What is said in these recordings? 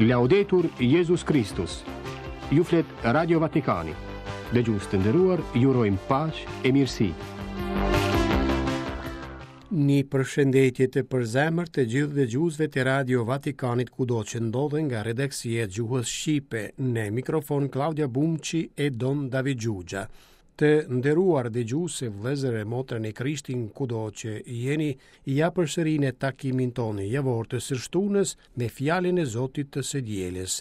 Laudetur Jezus Kristus. Ju flet Radio Vatikani. Dëgjues të nderuar, ju urojmë paqe e mirësi. Një përshëndetje të përzemërt të gjithë dëgjuesve të Radio Vatikanit kudo që ndodhen nga redaksia e gjuhës shqipe në mikrofon Klaudia Bumçi e Don David Xhuxha. Të nderuar dëgjues e vëllezër e motra në Krishtin kudo që jeni, ja përsëri në takimin tonë javor të së shtunës me fjalën e Zotit të së dielës.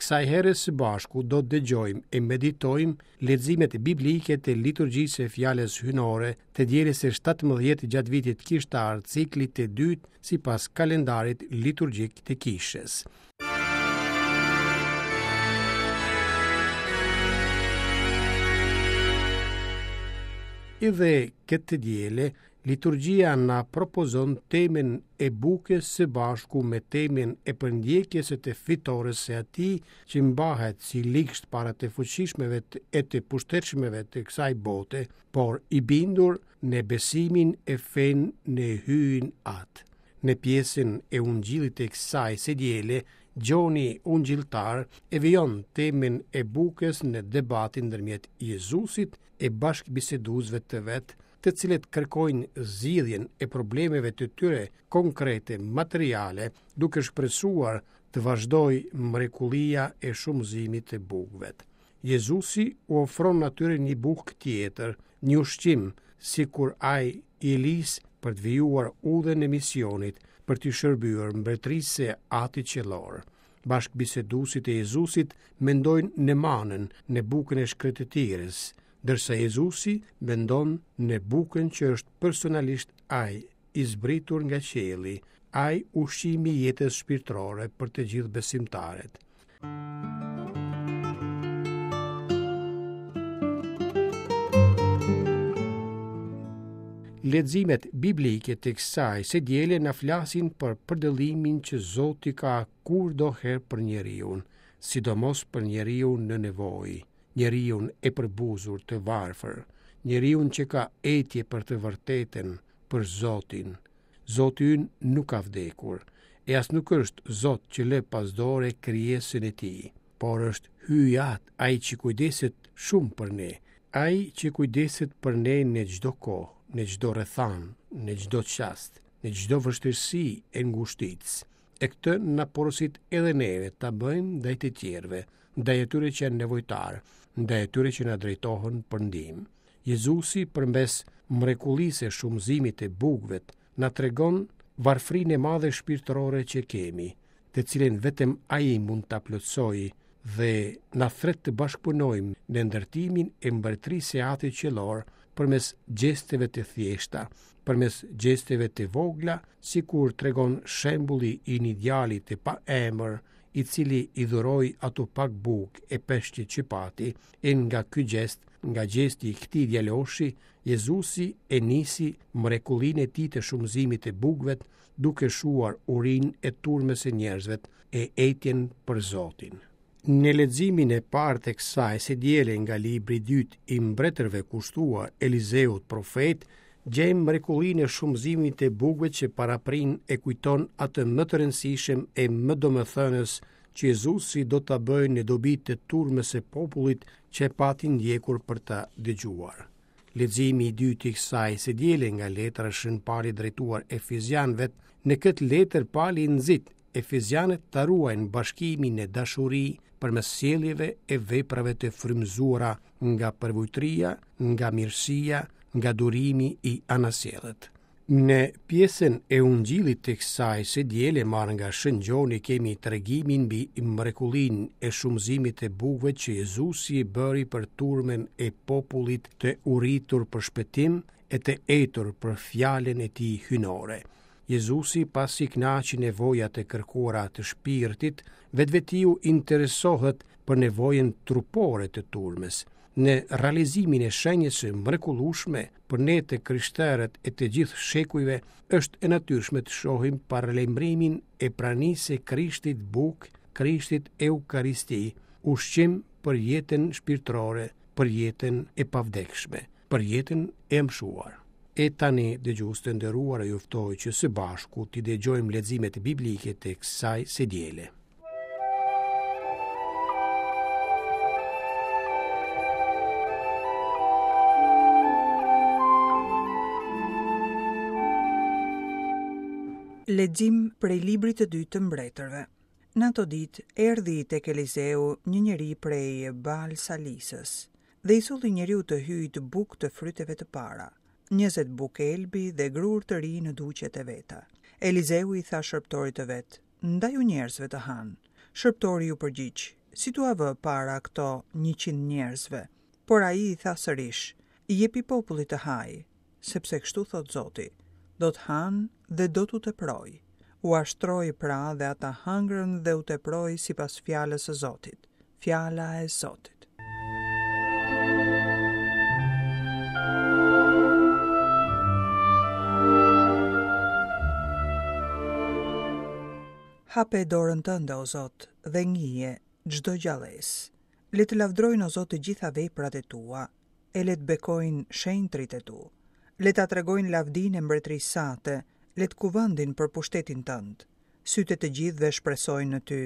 Kësaj here së bashku do të dëgjojmë e meditojmë leximet biblike të liturgjisë së fjalës hyjnore të dielës së 17 gjatë vitit kishtar ciklit të dytë sipas kalendarit liturgjik të kishës. Edhe këtë të diele, liturgjia na propozon temën e bukës së bashku me temën e përndjekjes e të fitores së atij që mbahet si ligsht para të fuqishmeve e të pushtetshmeve të kësaj bote, por i bindur në besimin e fenë në Hyjin Atë. Në pjesën e Ungjillit të kësaj së diele, Gjoni Ungjilltar e vijon temën e bukës në debatin ndërmjet Jezusit e bashkëbiseduesve të vet, të cilët kërkojnë zgjidhjen e problemeve të tyre konkrete materiale, duke shpresuar të vazhdojë mrekullia e shumëzimit të bukëve. Jezusi u ofron atyre një bukë tjetër, një ushqim, sikur ai i Elisë për të vijuar udhën e misionit, për t'i shërbyer mbretërisë së Atit Qiellor. Bashkëbiseduesit e Jezusit mendojnë në manën, në bukën e shkretëtirës, ndërsa Jezusi mendon në bukën që është personalisht ai, i zbritur nga qielli, ai ushqimi i jetës shpirtërore për të gjithë besimtarët. Leximet biblike të kësaj së diele na flasin për përdëllimin që Zoti ka kurdoherë për njeriun, sidomos për njeriun në nevojë, njeriun e përbuzur të varfër, njeriun që ka etje për të vërtetën, për Zotin. Zoti ynë nuk ka vdekur, e as nuk është Zot që lë pas dore krijesën e tij, por është Hyji Atë, ai që kujdeset shumë për ne, ai që kujdeset për ne në çdo kohë, në çdo rrethanë, në çdo çast, në çdo vështirësi e ngushticë. E këtë na porosit edhe neve ta bëjmë ndaj të tjerëve, ndaj atyre që janë nevojtarë, ndaj atyre që na drejtohen për ndihmë. Jezusi përmes mrekullisë së shumëzimit të bukëve na tregon varfërinë e madhe shpirtërore që kemi, të cilën vetëm Ai mund ta plotësojë dhe na thërret të bashkëpunojmë në ndërtimin e mbretërisë së Atit Qiellor përmes gjesteve të thjeshta, përmes gjesteve të vogla, sikur tregon shembulli i një djali të paemër, i cili i dhuroi ato pak bukë e peshqit që pati, e nga ky gjest, nga gjesti i këtij djaloshi, Jezusi e nisi mrekullinë e tij të shumëzimit të bukëve, duke shuar urinë e turmës së njerëzve e etjen për Zotin. Në leximin e parë të kësaj së diele nga libri i dytë i mbretërve kushtuar Elizeut profet, gjejmë mrekullinë e shumëzimit të bukëve që paraprin e kujton atë më të rëndësishëm e më domethënës që Jezusi do ta bëjë në dobi të turmës së popullit që e pati ndjekur për ta dëgjuar. Leximi i dytë i kësaj së diele nga letra e Shën Palit drejtuar Efezianëve, në këtë letër Pali nxit Efezianët ta ruajnë bashkimin në dashuri përmes sjelljeve e veprave të frymëzuara nga përvujtëria, nga mirësia, nga durimi i anasjellët. Në pjesën e Ungjillit të kësaj së diele marrë nga Shën Gjoni kemi tregimin mbi mrekullinë e shumëzimit të bukëve që Jezusi e bëri për turmën e popullit të uritur për shpëtim e të etur për fjalën e tij hyjnore. Jezusi pasi kënaqi nevojat e kërkuara të shpirtit, vetvetiu interesohet për nevojën trupore të turmës. Në realizimin e shenjës së mrekullueshme për ne të krishterët e të gjithë shekujve është e natyrshme të shohim paralajmërimin e pranisë së Krishtit bukë, Krishtit Eukaristi, ushqim për jetën shpirtërore, për jetën e pavdekshme, për jetën e amshuar. E tani, dëgjues të nderuar, ju ftoj që së bashku t'i dëgjojmë leximet biblike të kësaj së diele. Lexim prej librit të dytë të Mbretërve. Në ato ditë erdhi tek Elizeu një njeri prej Baal Salisës dhe i solli njeriut të Hyjit bukë të fryteve të para, 20 bukë elbi dhe grurë të ri në duqet e veta. Elizeu i tha shërbëtorit të vet, Ndaju njerëzve të hanë. Shërbëtori iu përgjigj, Si t'ua vë para këto 100 njerëzve? Por ai i tha sërish, Jepi popullit të hajë, sepse kështu thotë Zoti, do të hanë dhe do t'u teprojë. Ua shtroi pra dhe ata hëngrën dhe u teproi sipas fjalës së Zotit. Fjala e Zotit. Hape dorën tënde, o Zot, dhe ngije çdo gjallesë. Le të lavdërojnë, o Zot, të gjitha veprat e tua, e le të bekojnë shenjtërit e tu. Le ta tregojnë lavdinë e mbretërisë sate, le të kuvendin për pushtetin tënd. Sytë e të gjithëve shpresojnë në ty,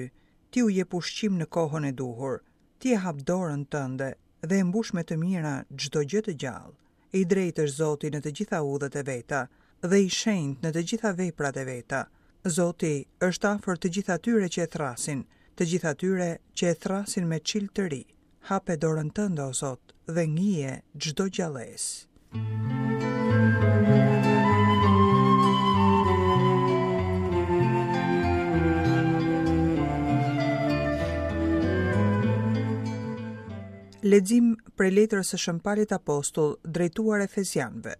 ti u jep ushqim në kohën e duhur. Ti e hap dorën tënde dhe e mbush me të mira çdo gjë të gjallë. I drejtë është Zoti në të gjitha udhët e veta dhe i shenjtë në të gjitha veprat e veta. Zoti është afër të gjithë atyre që e thërrasin, të gjithë atyre që e thërrasin me çiltëri. Hape dorën tënde, o Zot, dhe ngije çdo gjallesë. Lexim prej letrës së Shën Palit Apostull drejtuar Efezianëve.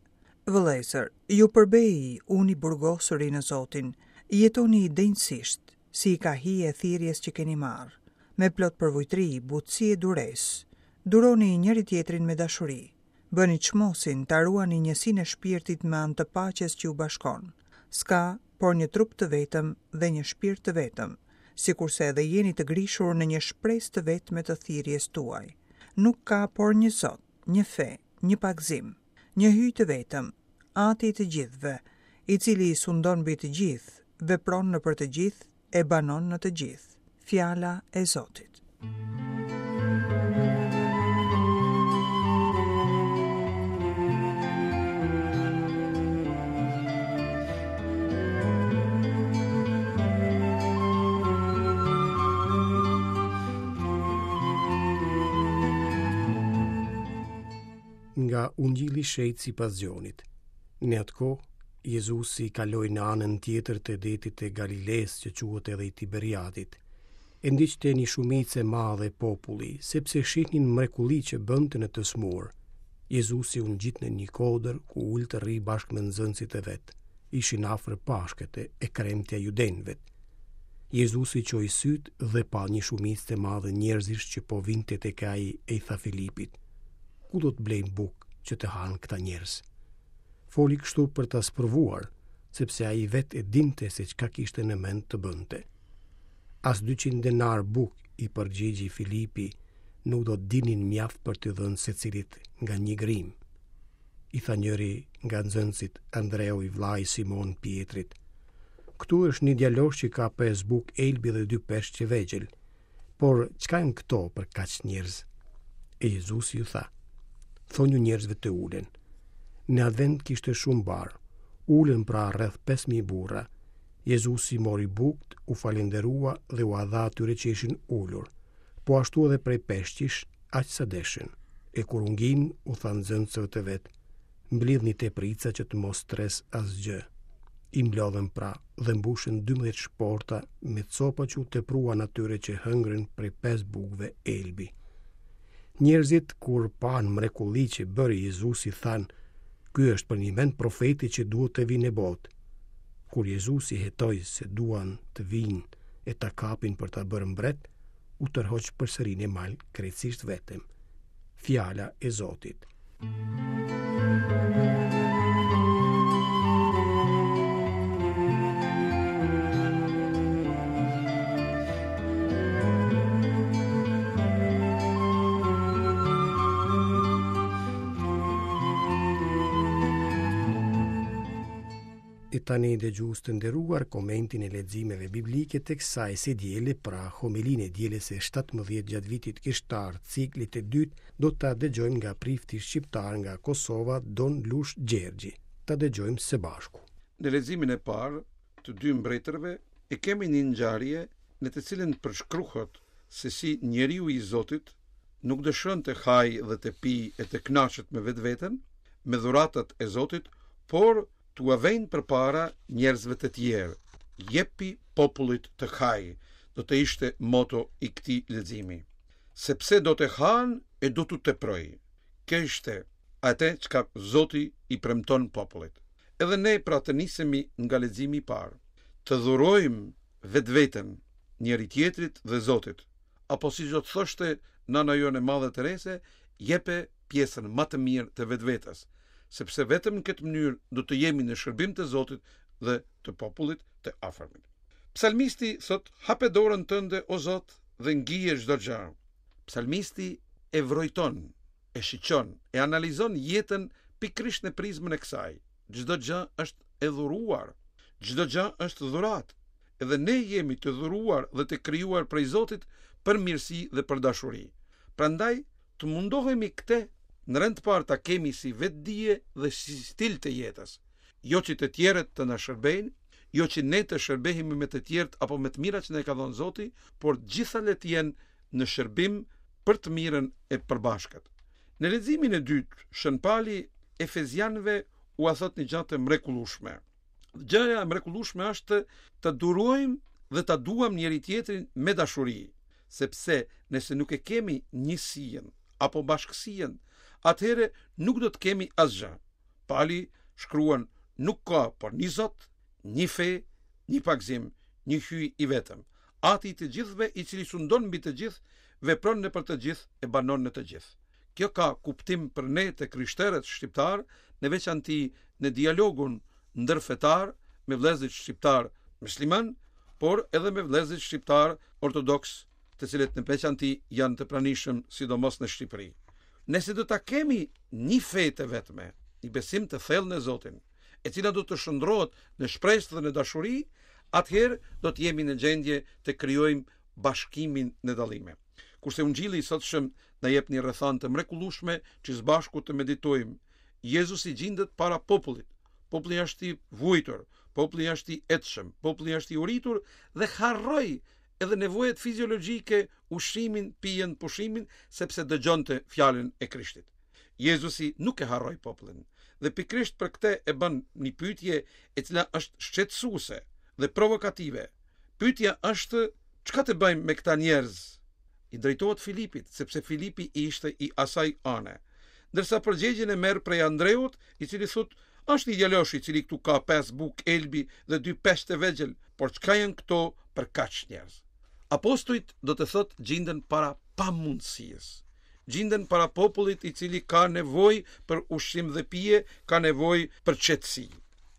Vëllezër, ju përbej unë i burgosuri në Zotin, jetoni denjësisht, si i ka hije thirrjes që keni marrë, me plot përvujtri, butësi e duresë. Duroni njëri-tjetrin me dashuri. Bëni çmosin ta ruani njësinë e shpirtit me anë të paqes që ju bashkon. S'ka por një trup të vetëm dhe një shpirt të vetëm, sikurse edhe jeni të grishur në një shpresë të vetme të thirrjes tuaj. Nuk ka por një Zot, një fe, një pagëzim. Një Hyj të vetëm, Ati i të gjithëve, i cili sundon mbi të gjithë, vepron nëpër të gjithë e banon në të gjithë. Fjala e Zotit. Nga Ungjilli i Shenjtë sipas Gjonit. Në atë kohë, Jezusi kaloi në anën tjetër të detit të Galilesë, që quhet edhe i Tiberiadit. E ndiqte një shumicë e madhe populli, sepse shihnin mrekullitë që bënte në të sëmurë. Jezusi u ngjit në një kodër ku u ul të rrijë bashkë me nxënësit e vet. Ishin afër Pashkët e kremtja e judenjve. Jezusi çoi sytë dhe pa një shumicë të madhe njerëzish që po vinte tek ai e i tha Filipit: Ku do të blejmë bukë që të hanë këta njerëz? Foli kështu për ta sprovuar, sepse ai vetë e dinte se çka kishte në mend të bënte. As 200 denarë bukë, i përgjigji Filipi, nuk do të dilnin mjaft për t'i dhënë secilit nga një grimë. I tha njëri nga nxënësit, Andreu i vëllai i Simon Pjetrit. Këtu është një djalosh që ka pesë bukë elbi dhe dy peshq të vegjël. Por çka janë këto për kaq njerëz? E Jezusi u tha: Thonju njerëzve të ulen. Në atë vend kishte shumë bar. U ulën pra rreth 5000 burra. Jezusi mori bukët, u falënderua dhe ua dha atyre që ishin ulur. Po ashtu edhe prej peshqish, aq sa deshën. E kur u nginë, u tha nxënësve të vet: Mblidhni teprica që të mos tresë asgjë. I mblodhën pra dhe mbushën 12 shporta me copa që u tepruan atyre që hëngrën prej pesë bukëve elbi. Njerëzit kur panë mrekullitë që bëri Jezusi thanë, ky është përnjëmend profeti që duhet të vijë në botë. Kur Jezusi hetoi se duan të vijnë e ta kapin për ta bërë mbret, u tërhoq përsëri në mal krejtësisht vetëm. Fjala e Zotit. E tani dëgjues të nderuar komentin e leximeve biblike të kësaj së diele, pra homilinë e dielës së 17 gjatë vitit kishtar ciklit të dytë, do ta dëgjojmë nga prifti shqiptar nga Kosova, Don Lush Gjergji. Ta dëgjojmë së bashku. Në leximin e parë. të dy mbretërve e kemi një ngjarje në të cilën përshkruhet se si njeriu i Zotit nuk dëshiron të hajë dhe të pijë e të kënaqet me vetveten, me dhuratat e Zotit, por t'ua vejnë përpara njerëzve të tjerë. Jepi popullit të hajë, do të ishte moto i këtij leximi. Sepse do të hanë e do t'u teprojë. Kjo ishte atë çka Zoti i premton popullit. Edhe ne pra të nisemi nga leximi i parë, të dhurojmë vetveten njëri-tjetrit dhe Zotit, apo siç do të thoshte nana jonë e madhe Tereze, jepe pjesën ma të mirë të vetvetes, sepse vetëm në këtë mënyrë do të jemi në shërbim të Zotit dhe të popullit të afërmit. Psalmisti thotë, hape dorën tënde o Zot dhe ngije çdo gjë. Psalmisti e vrojton, e shiqon, e analizon jetën pikërisht në prizmën e kësaj. Çdo gjë është e dhuruar, çdo gjë është dhuratë. Edhe ne jemi të dhuruar dhe të krijuar prej Zotit për mirësi dhe për dashuri. Prandaj, të mundohemi këtë në rend të parë ta kemi si vetëdije dhe si stil të jetës. Jo që të tjerët të na shërbejnë, jo që ne të shërbehemi me të tjerët apo me të mirat që na i ka dhënë Zoti, por të gjitha le të jenë në shërbim për të mirën e përbashkët. Në leximin e dytë, Shën Pali Efezianëve ua thotë një gjë të mrekullueshme. Gjëja e mrekullueshme është të durojmë dhe ta duam njëri-tjetrin me dashuri, sepse nëse nuk e kemi njësinë apo bashkësinë, atëherë nuk do të kemi asgjë. Pali shkruan nuk ka por një Zot, një fe, një pagëzim, një Hyj i vetëm, Ati i të gjithëve i cili sundon mbi të gjithë, vepron nëpër të gjithë e banon në të gjithë. Kjo ka kuptim për ne të krishterët shqiptarë, në veçanti në dialogun ndërfetar me vëllezërit shqiptarë myslimanë, por edhe me vëllezërit shqiptarë ortodoksë, të cilët në veçanti janë të pranishëm sidomos në Shqipëri. Nëse do ta kemi një fe të vetme, një besim të thellë në Zotin, e cila do të shndërrohet në shpresë dhe në dashuri, atëherë do të jemi në gjendje të krijojmë bashkimin në dallime. Kurse Ungjilli i sotshëm na jep një rrethanë të mrekullueshme që së bashku të meditojmë. Jezusi gjindet para popullit. Populli është i vuajtur, populli është i etshëm, populli është i uritur dhe harroi edhe nevojat fiziologjike, ushqimin, pijen, pushimin, sepse dëgjonte fjalën e Krishtit. Jezusi nuk e harroi popullin dhe pikërisht për këtë e bën një pyetje e cila është shqetësuese dhe provokative. Pyetja është çka të bëjmë me këta njerëz? I drejtohet Filipit, sepse Filipi ishte i asaj ane. Ndërsa përgjigjen e merr prej Andreut, i cili thotë, është një djalosh i cili këtu ka pesë bukë elbi dhe dy peshq të vegjël, por çka janë këto për kaq njerëz? Apostujt do të thotë gjinden para pamundësisë. Gjinden para popullit i cili ka nevojë për ushqim dhe pije, ka nevojë për qetësi.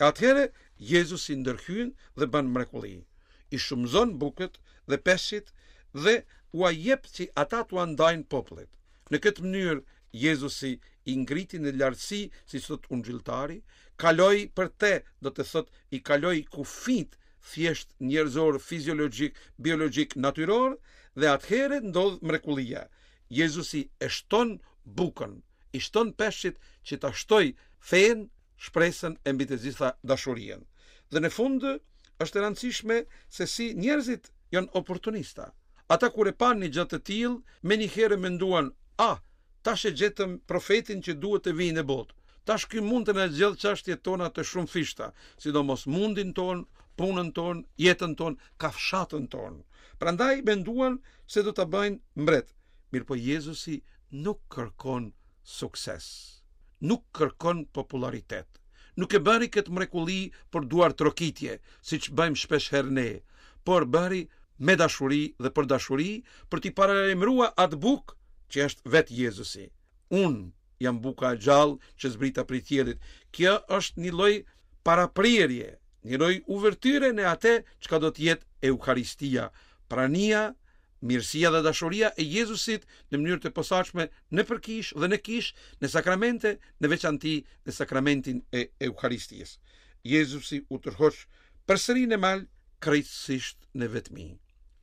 E atëherë Jezusi ndërhyn dhe bën mrekulli. I shumëzon bukët dhe peshqit dhe ua jep që ata t'ua ndajnë popullit. Në këtë mënyrë Jezusi i ngriti në lartësi, siç thotë ungjilltari, kaloi për te, do të thotë i kaloi kufijtë thjesht njerëzor, fiziologjik, biologjik, natyror dhe atëherë ndodh mrekullia. Jezusi e shton bukën, i shton peshqit që ta shtojë fenë, shpresën e mbi të gjitha dashurinë. Dhe në fund është e rëndësishme se si njerëzit janë oportunista. Ata kur e panë një gjë të tillë, menjëherë menduan, "Ah, tash e gjetëm profetin që duhet të vijë në botë. Tash ky mund të na zgjidhë çështjet tona të shumëfishta, sidomos mundin tonë, punën tonë, jetën tonë, kafshatën tonë." Prandaj menduan se do ta bëjnë mbret. Mirëpo Jezusi nuk kërkon sukses, nuk kërkon popullaritet. Nuk e bëri këtë mrekulli për duartrokitje, siç bëjmë shpesh herë ne, por bëri me dashuri dhe për dashuri për t'i paralajmëruar atë bukë që është vetë Jezusi. Unë jam buka e gjallë që zbrita prej qiellit. Kjo është një lloj paraprirje, një lloj uvertyre në atë çka do të jetë Eucharistia, prania Mirësia dhe dashuria e Jezusit në mënyrë të posaçme nëpër kishë dhe në kishë, në sakramente, në veçanti në sakramentin e Eucharistisë. Jezusi u tërhoq përsëri në mal krejtësisht në vetmi.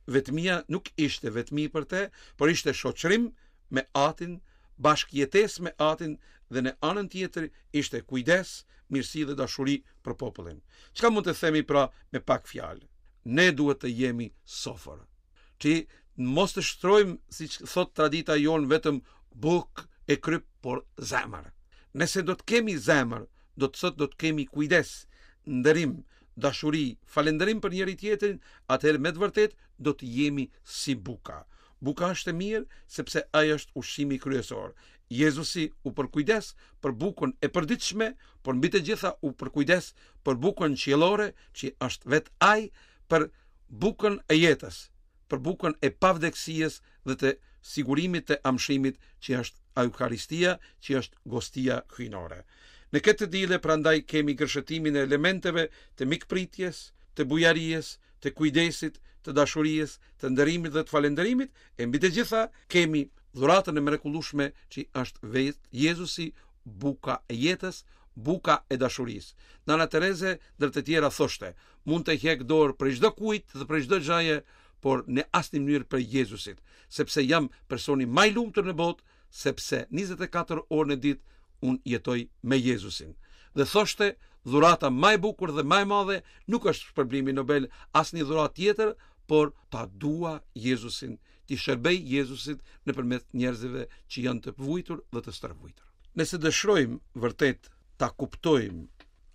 Vetmia nuk ishte vetmi për te, por ishte shoqërim me Atin. bashkëjetesë me Atin dhe në anën tjetër ishte kujdes, mirësi dhe dashuri për popullin. Çka mund të themi pra me pak fjalë? Ne duhet të jemi sofër. Që mos të shtrojmë, siç thotë tradita jonë, vetëm bukë e kryp, por zemër. Nëse do të kemi zemër, do të thotë do të kemi kujdes, nderim, dashuri, falënderim për njëri-tjetrin, atëherë me të vërtetë do të jemi si buka. Buka është e mirë sepse ai është ushqimi kryesor. Jezusi u përkujdes për bukën e përditshme, por mbi të gjitha u përkujdes për bukën qiellore, që është vetë ai për bukën e jetës, për bukën e pavdekësisë dhe të sigurimit të amshimit që është Eukaristia, që është gostia hyjnore. Në këtë të diele prandaj kemi gërshetimin e elementeve të mikpritjes, të bujarisë, të kujdesit, të dashurisë, të nderimit dhe të falënderimit, e mbi të gjitha kemi dhuratën e mrekullueshme që është vetë Jezusi, buka e jetës, buka e dashurisë. Nana Tereze ndër të tjera thoshte, mund të hjek dorë prej çdo kujt dhe prej çdo gjëje, por në asnjë mënyrë prej Jezusit, sepse jam personi më i lumtur në botë, sepse 24 orë në ditë unë jetoj me Jezusin. Dhe thoshte, dhurata më e bukur dhe më e madhe nuk është shpërblimi Nobel, asnjë dhuratë tjetër, por ta dua Jezusin, t'i shërbej Jezusit nëpërmjet njerëzve që janë të vujtur dhe të stërvujtur. Nëse dëshirojmë vërtet ta kuptojmë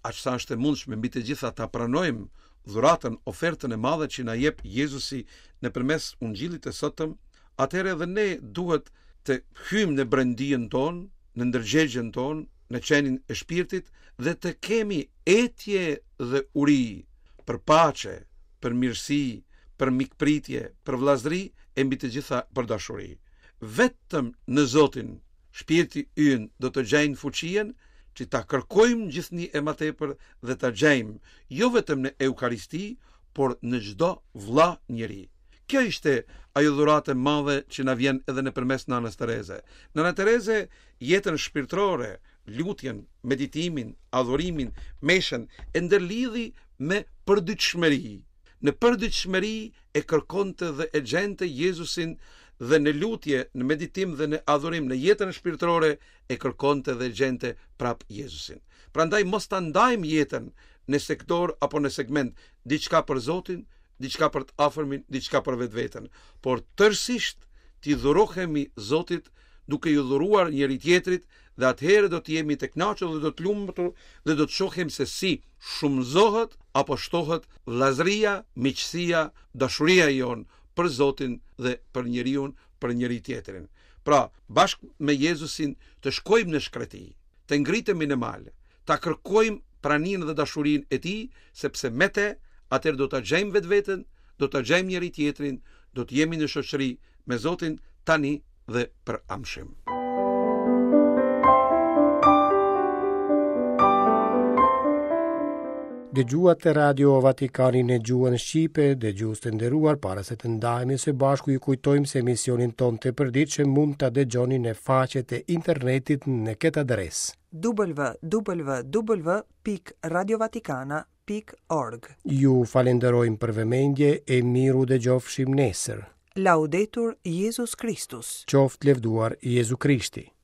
aq sa është e mundshme mbi të gjitha ta pranojmë dhuratën, ofertën e madhe që na jep Jezusi nëpërmes Ungjillit të sotëm, atëherë edhe ne duhet të hyjmë në brendinë tonë, në ndërgjegjen tonë, në qenien e shpirtit dhe të kemi etje dhe uri për paqe, për mirësi, për mikpritje, për vëllazëri e mbi të gjitha për dashuri. Vetëm në Zotin shpirti ynë do të gjejnë fuqinë që ta kërkojmë gjithnjë e më tepër dhe ta gjejmë jo vetëm në Eukaristi, por në çdo vëlla njeri. Kjo ishte ajo dhuratë e madhe që na vjen edhe nëpërmes Nanës Tereze. Nana Tereze jetën shpirtërore, lutjen, meditimin, adhurimin, meshën e ndërlidhi me përditshmëri. Në përditshmëri e kërkonte dhe e gjente Jezusin dhe në lutje, në meditim dhe në adhurim, në jetën shpirtërore e kërkonte dhe gjente prap Jezusin. Prandaj mos ta ndajmë jetën në sektor apo në segment, diçka për Zotin, diçka për të afërmin, diçka për vetveten, por tërësisht t'i dhurohemi Zotit duke iu dhuruar njëri-tjetrit dhe atëherë do të jemi të kënaqur dhe do të lumtur dhe do të shohim se si shumëzohet apo shtohet vëllazëria, miqësia, dashuria jonë për Zotin dhe për njeriun, për njëri-tjetrin. Pra, bashkë me Jezusin të shkojmë në shkreti, të ngritemi në mal, ta kërkojmë praninë dhe dashurinë e tij, sepse me te atëherë do ta gjejmë vetveten, do ta gjejmë njëri-tjetrin, do të jemi në shoqëri me Zotin tani dhe për amshim. Dëgjuat Radio Vatikanin në gjuhën shqipe, dëgjues të nderuar, para se të ndahemi së bashku ju kujtojmë se emisionin tonë të përditshëm mund ta dëgjoni në faqet e internetit në këtë adresë. www.radiovatikana.org Ju falenderojmë për vëmendje e mirudëgjofshim nesër. Laudetur Jezus Kristus. Qoftë lëvduar Jezu Krishti.